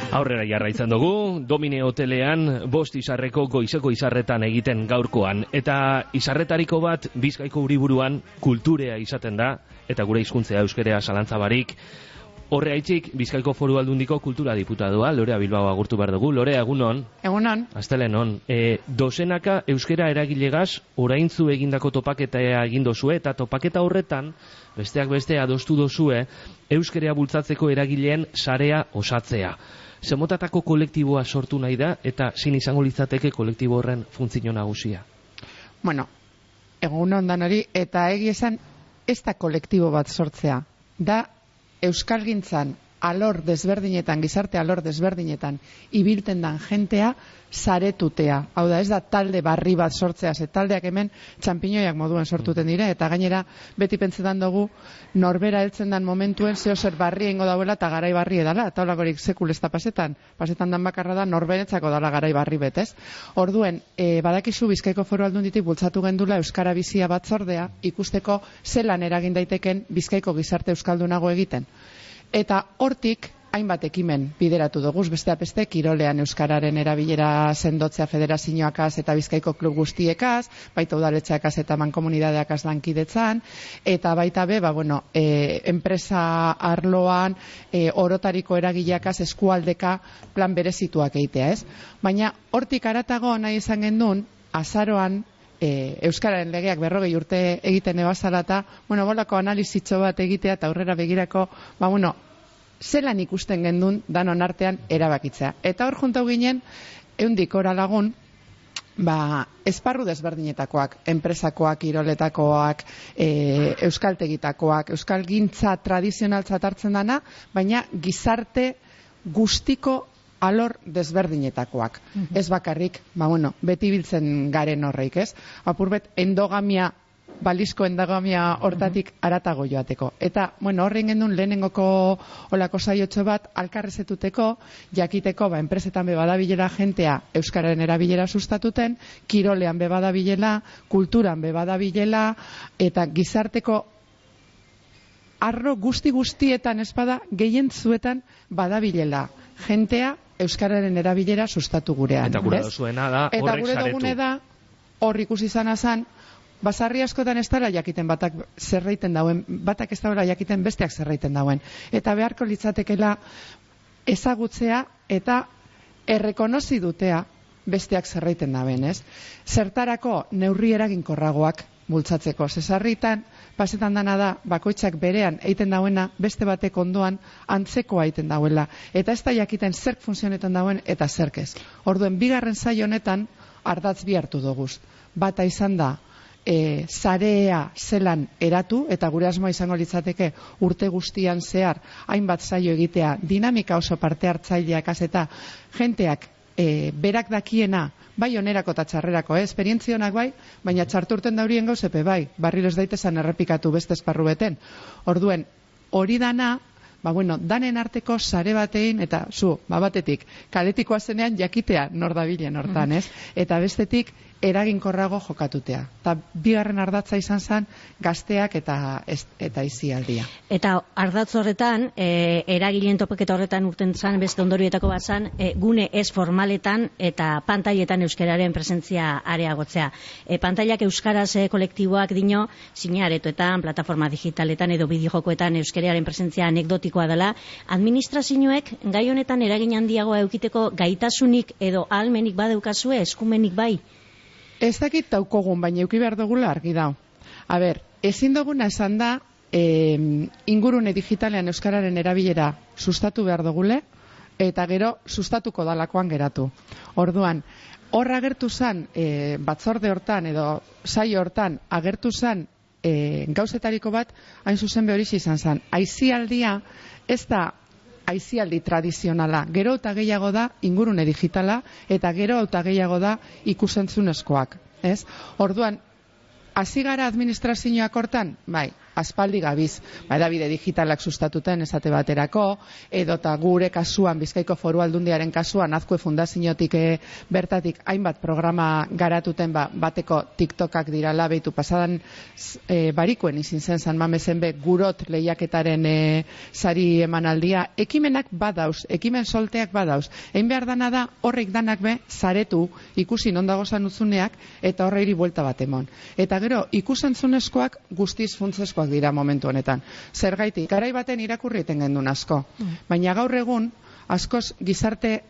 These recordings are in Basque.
Aurrera jarraitzen dugu, Domine Hotelean 5 izarreko goizeko izarretan egiten gaurkoan. Eta izarretariko bat Bizkaiko hiriburuan kulturea izaten da, eta gure hizkuntzea euskerea zalantzabarik. Horregatik Bizkaiko Foru Aldundiko kultura diputadua, Lorea Bilbao agurtu behar dugu. Lorea, egunon? Egunon. Astelenon. Dozenaka euskera eragilegaz oraintzu egindako topaketa egin dozue, eta topaketa horretan, besteak beste adostu dozue, euskerea bultzatzeko eragileen sarea osatzea. Zemotatako kolektiboa sortu nahi da, eta zin izango litzateke kolektibo horren funtzio nagusia? Bueno, egunon danari, eta egia esan, ez da kolektibo bat sortzea. Da, euskalgintzan alor desberdinetan, gizarte alor desberdinetan, ibilten dan jentea saretutea. Hau da, ez da talde barri bat sortzea, ze taldeak hemen txampiñoiak moduen sortuten dire, eta gainera beti pentsetan dugu norbera heltzen dan momentuen zeo zer barri ingo dauela eta garai barri edala, eta holakorik sekul ez da pasetan dan bakarra da norberetzako dala garai barri betez. Orduen, badakizu Bizkaiko Foru Aldunditik bultzatu gendula Euskara Bizia batzordea ikusteko zelan eragin daiteken Bizkaiko gizarte euskaldunago egiten. Eta hortik hainbat ekimen bideratu dugu, besteak beste kirolean euskararen erabilera sendotzea federazioakaz eta Bizkaiko klub guztiekaz, baita udaletxeakaz eta mankomunidadeakaz lankidetzan, eta baita be, enpresa arloan orotariko eragileakaz eskualdeka plan berezituak egitea, ez? Baina hortik haratago nahi izan gendun, azaroan euskararen legeak 40 urte egiten ebazala eta, bolako analizitxo bat egitea eta aurrera begirako, zelan ikusten gendun danon artean erabakitzea. Eta hor juntau ginen, eundik ora lagun, esparru desberdinetakoak, enpresakoak, kiroletakoak, euskaltegitakoak, euskalgintza tradizionaltzat hartzen dana, baina gizarte guztiko alor desberdinetakoak. Ez bakarrik, beti biltzen garen horreik, ez? Apurbet, balizko endogamia hortatik aratago joateko. Eta, horrein gendun lehenengoko olako saiotxo bat, alkarrezetuteko, jakiteko, enpresetan bebadabilela jentea euskararen erabilera sustatuten, kirolean bebadabilela, kulturan bebadabilela, eta gizarteko arro guztietan espada, gehientzuetan badabilela jentea euskararen erabilera sustatu gurean. Eta gure dozuena da horrek saretu. Eta gure dugune da, hor ikusi izan azan, basarri askotan ez dara jakiten batak zerreiten dauen, batak ez dara jakiten besteak zerreiten dauen. Eta beharko litzatekela ezagutzea eta errekonozi dutea besteak zerreiten dauen, ez? Zertarako neurri eraginkorragoak bultzatzeko. Zesarritan, pasetan dana da, bakoitzak berean eiten dauena, beste batek ondoan antzekoa eiten dauela. Eta ez da jakiten zerk funtzionetan dauen eta zerk ez. Orduen, bigarren saio honetan, ardatz bi hartu doguz. Bata izan da, zarea zelan eratu, eta gure asmoa izango litzateke urte guztian zehar hainbat saio egitea dinamika oso parte hartzaileak eta jenteak berak dakiena bai onerako eta txarrerako, esperientzionak bai, baina txarturten daurien gauzepe bai, barriro ez daitezan errepikatu beste esparru beten. Orduen, hori dana, danen arteko sare batein, eta batetik, kaletikoa zenean jakitea nor dabilen hortan, ez? Eta bestetik, eraginkorrago jokatutea. Eta bigarren ardatza izan zen gazteak eta izialdia. Eta ardatz horretan, eragileen topaketa horretan urten zan, beste ondorioetako bat zan, gune ez formaletan eta pantailetan euskararen presentzia areagotzea. Pantailak euskaraz kolektiboak dino, sinaretoetan, plataforma digitaletan edo bideojokoetan euskararen presentzia anekdotikoa dela, administrazioek gai honetan eragin handiagoa eukiteko gaitasunik edo ahalmenik badeukazue, eskumenik bai? Ez dakit daukogun, baina euki behar dugula argi dau. Ezin duguna esan da, ingurune digitalean euskararen erabilera sustatu behar dugule, eta gero sustatuko dalakoan geratu. Orduan, hor agertu zan, batzorde hortan edo saio hortan agertu zan gauzetariko bat, hain zuzen behorixi izan zan. Aizialdia ez da aizialdi tradizionala. Gero eta gehiago da ingurune digitala eta gero eta gehiago da ikusentzunezkoak. Orduan, hasi gara administrazioak hortan? Bai, aspaldi gabiz, edabide digitalak sustatuten esate baterako, edota gure kasuan, Bizkaiko Foru Aldundiaren kasuan, Azkue Fundaziotik bertatik hainbat programa garatuten bateko TikTokak dirala, behitu pasadan barikuen izin zen San Mamesen be gurot lehiaketaren sari emanaldia, ekimenak badauz, ekimen solteak badauz. Egin behar dana da, horrek danak be, zaretu, ikusi nondagozan utzuneak, eta horreiri buelta bat emon. Eta gero, ikusentzunezkoak guztiz funtzeskoak dira momentu honetan. Zergaitik, garai baten irakurri eten gendun asko. Baina gaur egun, askoz gizarte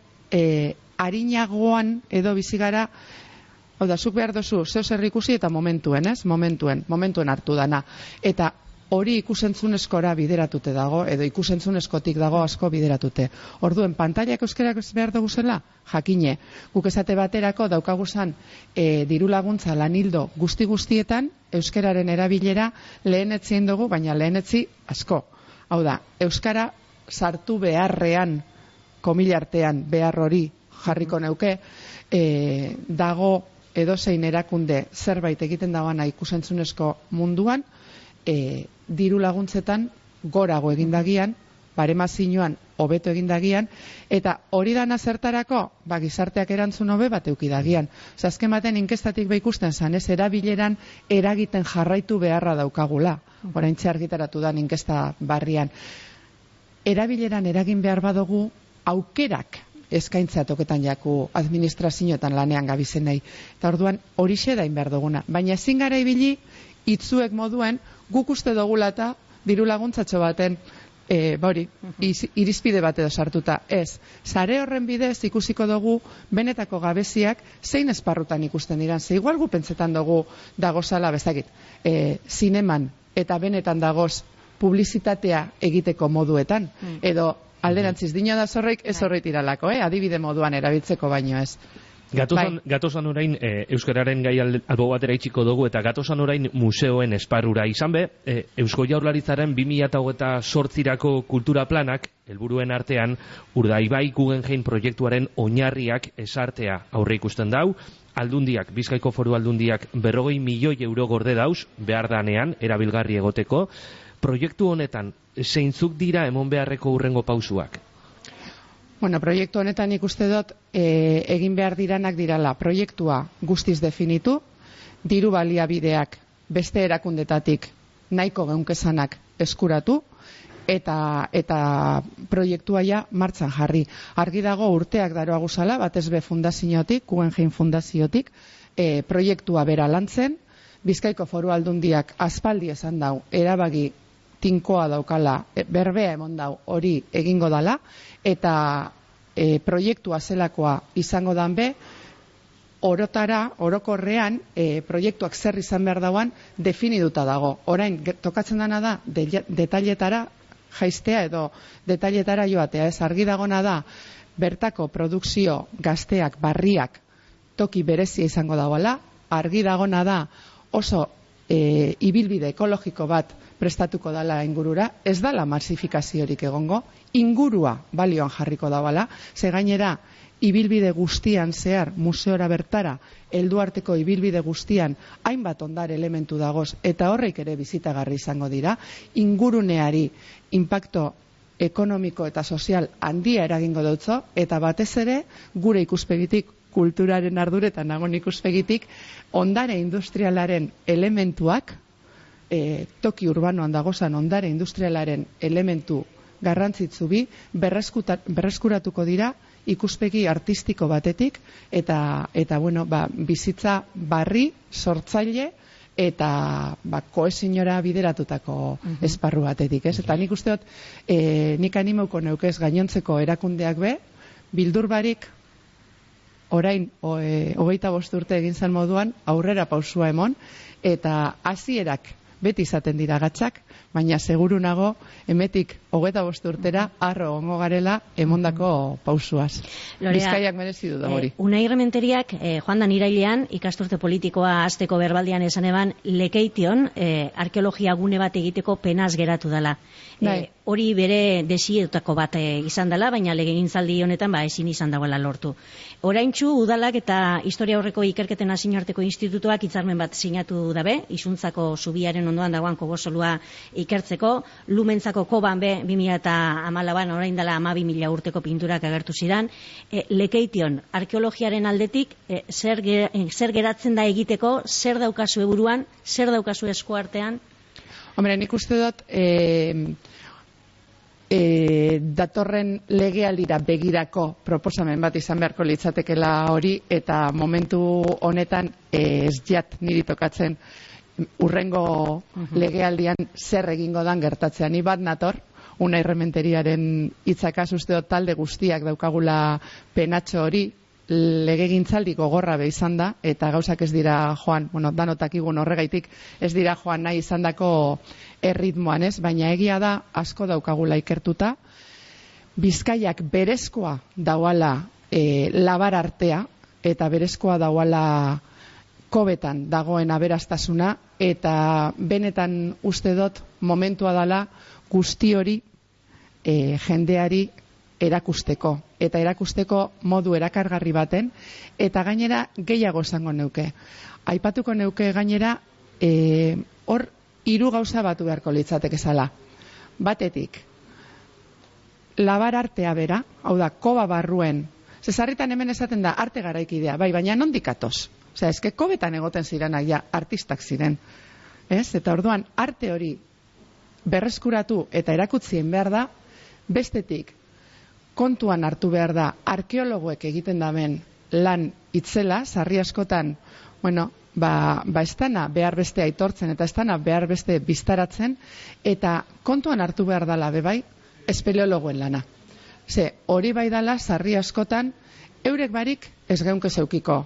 arinagoan edo bizigara, hau da, zuk behar dozu, zeu zer ikusi eta momentuen, ez? Momentuen hartu dana. Eta hori ikusentzunezkora bideratute dago, edo ikusentzunezkotik dago asko bideratute. Orduen, pantailak euskarak behar dugu zela? Jakine. Guk esate baterako daukaguzan diru laguntza lanildo guztietan, euskararen erabilera lehenetzien dugu, baina lehenetzi asko. Hau da, euskara sartu beharrean, komilartean behar hori jarriko neuke, dago edozein erakunde zerbait egiten dagoana ikusentzunezko munduan, diru laguntzetan gorago egindagian, baremazioan hobeto egindagian, eta hori dana zertarako, gizarteak erantzun hobe bat eukidagian. Azken baten inkestatik ikusten zan, ez erabileran eragiten jarraitu beharra daukagula. Oraintxe argitaratu da inkesta barrian. Erabileran eragin behar badugu aukerak eskaintza toketan jaku administrazioetan lanean gabizenei. Eta orduan horixe dain behar duguna. Baina ezin gara ibili itzuek moduen guk uste dugula eta diru laguntzatxo baten irizpide bat edo sartuta. Ez, sare horren bidez ikusiko dugu benetako gabeziak zein esparrutan ikusten diran. Ze igual gu pentsetan dugu dagozala, bezakit, zineman eta benetan dagoz publizitatea egiteko moduetan. Edo alderantziz dino da zorreik ez horreit iralako, adibide moduan erabiltzeko baino ez. Gatozan orain euskararen gai albo batera itxiko dugu eta gatozan orain museoen esparrura izan be, Eusko Jaurlaritzaren 2028rako kultura planak helburuen artean Urdaibai Guggenheim proiektuaren oinarriak esartea aurre ikusten dau. Aldundiak, Bizkaiko Foru Aldundiak 40 milioi euro gorde dauz behar danean erabilgarri egoteko. Proiektu honetan zeintzuk dira emon beharreko hurrengo pausuak? Bueno, proiektu honetan ikuste dut egin behar diranak dirala proiektua guztiz definitu, diru baliabideak beste erakundetatik nahiko geunkesanak eskuratu, eta proiektua ja martxan jarri. Argi dago urteak daroa guzala, batez be fundaziotik, Guggenheim fundaziotik, proiektua bera lantzen, Bizkaiko Foru Aldundiak aspaldi esan dau, erabagi tinkoa daukala, berbea emon dau hori egingo dala, eta proiektua zelakoa izango dan be, orokorrean proiektuak zer izan behar dauan definiduta dago. Orain, tokatzen dana da, detailetara jaistea edo detailetara joatea, ez argi dagona da, bertako produkzio gazteak, barriak, toki berezia izango dagoela, argi dagona da, oso ibilbide ekologiko bat prestatuko dala ingurura, ez dala masifikaziorik egongo, ingurua balioan jarriko dabala, ze gainera ibilbide guztian zehar, museora bertara, helduarteko ibilbide guztian, hainbat ondare elementu dagoz, eta horreik ere bizitagarri izango dira, inguruneari impacto ekonomiko eta sozial handia eragingo dutzo, eta batez ere, gure ikuspegitik, kulturaren arduretan nagon ikuspegitik, ondare industrialaren elementuak, toki urbanoan dagozan ondare industrialaren elementu garrantzitsu bi, berreskuratuko dira ikuspegi artistiko batetik, eta bueno, bizitza barri, sortzaile, eta kohesionora bideratutako esparru batetik, ez? Eta nik uste dut, nik animauko neukez gainontzeko erakundeak be, bildur barik, orain, 25 urte egin zen moduan, aurrera pausua emon, eta hasierak beti izaten dira gatzak, baina seguru nago, emetik 25 urtera, arro ongo garela, emondako pausuaz. Bizkaiak merezi du da hori. Unai Rementeriak, joan dan irailean, ikasturte politikoa hasteko berbaldian esan eban, Lekeition, arkeologia gune bat egiteko penaz geratu dela. hori bere desietako bat izan dela, baina legegintzaldi honetan ezin izan dagoela lortu. Oraintsu udalak eta historia aurreko ikerketen nazioarteko institutuak hitzarmen bat sinatu dabe, Isuntzako zubiaren ondoan dagoen kobosolua ikertzeko, Lumentzako koban be 2014an orain dela 12.000 urteko pinturak agertu zidan. Lekeition arkeologiaren aldetik zer geratzen da egiteko, zer daukazu buruan, zer daukazu eskuartean? Hombre, nik uste dut datorren legealdira begirako proposamen bat izan beharko litzatekela hori, eta momentu honetan ez jat niri tokatzen urrengo legealdian zer egingo dan gertatzea. Ni bat nator, Unai Rementeriaren hitzakaz uste dut talde guztiak daukagula penatxo hori, legegintzaldi gogorra be izan da, eta gauzak ez dira joan, danotak igun horregaitik, ez dira joan nahi izandako erritmoan, ez? Baina egia da, asko daukagula ikertuta, Bizkaiak berezkoa dauala labar artea, eta berezkoa dauala kobetan dagoen aberastasuna, eta benetan uste dut momentua dala guzti hori jendeari erakusteko, eta erakusteko modu erakargarri baten, eta gainera gehiago esango neuke. Aipatuko neuke gainera hor 3 gauza batu beharko litzateke zala. Batetik, labar artea bera, hau da, koba barruen, zezarritan hemen esaten da arte garaikidea, bai, baina nondik atoz? Osea, eske kobetan egoten zirenak ja artistak ziren. Ez? Eta orduan, arte hori berreskuratu eta erakutzien behar da, bestetik, kontuan hartu behar da, arkeologoek egiten daben lan itzela, sarri askotan, ez dana behar beste aitortzen, eta ez dana behar beste biztaratzen, eta kontuan hartu behar dala, bebai, espeleologoen lana. Ze, hori bai dala, sarri askotan, eurek barik ez geunke zeukiko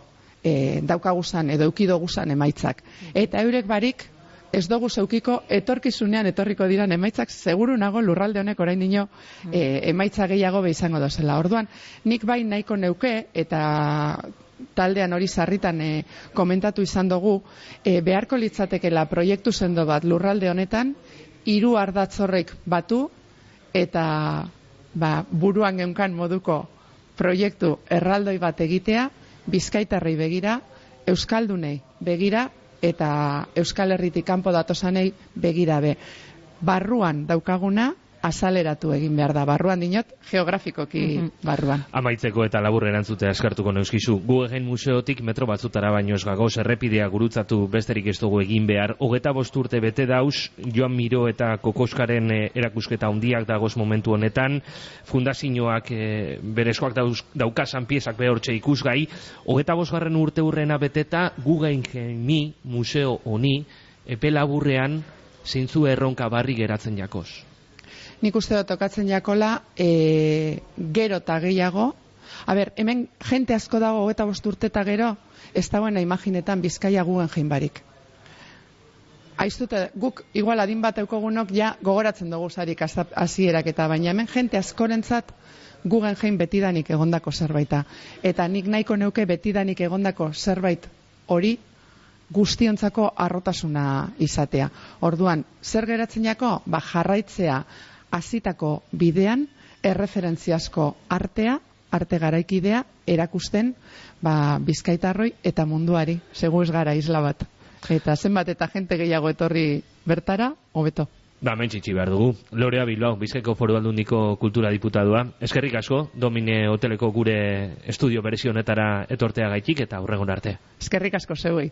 daukaguzan edo eukidoguzan emaitzak. Eta eurek barik ez dugu zeukiko etorkizunean etorriko diran emaitzak, seguru nago lurralde honek orain dino emaitza gehiago be izango dozela. Orduan, nik bai nahiko neuke, eta taldean hori sarritan komentatu izan dugu, beharko litzatekela proiektu sendo bat lurralde honetan, 3 ardatzorrek batu, eta buruan geunkan moduko proiektu erraldoi bat egitea, Bizkaitarrei begira, Euskaldunei begira, eta Euskal Herritik kanpo datosanei begira be. Barruan daukaguna azaleratu egin behar da. Barruan dinot, geografikoki barruan. Amaitzeko eta labur erantzutea eskartuko neuskizu. Guggenheim museotik metro batzutara baino ez gagoz, errepidea gurutzatu besterik ez dugu egin behar. 25 urte bete dauz, Joan Miro eta Kokoskaren erakusketa handiak dagoz momentu honetan. Fundazioak berezkoak daukazan piezak behortxe ikusgai. 25. urte hurrena beteta, Guggenheimi museo honi epe laburrean zeintzu erronka barri geratzen jakoz. Nik uste dut tokatzen jakola, gero eta gehiago. Hemen jente asko dago 25 urte eta gero, ez dagoena imaginetan Bizkaia Guggenheim barik. Aiztute, guk igual adin bat eukogunok ja gogoratzen dugu zarik hasierak eta, baina hemen jente askorentzat Guggenheim betidanik egondako zerbaita. Eta nik nahiko neuke betidanik egondako zerbait hori guztiontzako harrotasuna izatea. Orduan, zer geratzen jako? Jarraitzea hasitako bidean, erreferentziazko artea, arte garaikidea, erakusten Bizkaitarroi eta munduari, segu ez gara isla bat. Eta zenbat eta jente gehiago etorri bertara, hobeto. Mentxitsi behar dugu. Lorea Bilbao, Bizkaiko Foru Aldundiko kultura diputadua. Eskerrik asko, Domine Hoteleko gure estudio berezi honetara etortea gaitik eta hurrengon arte. Eskerrik asko zeuei.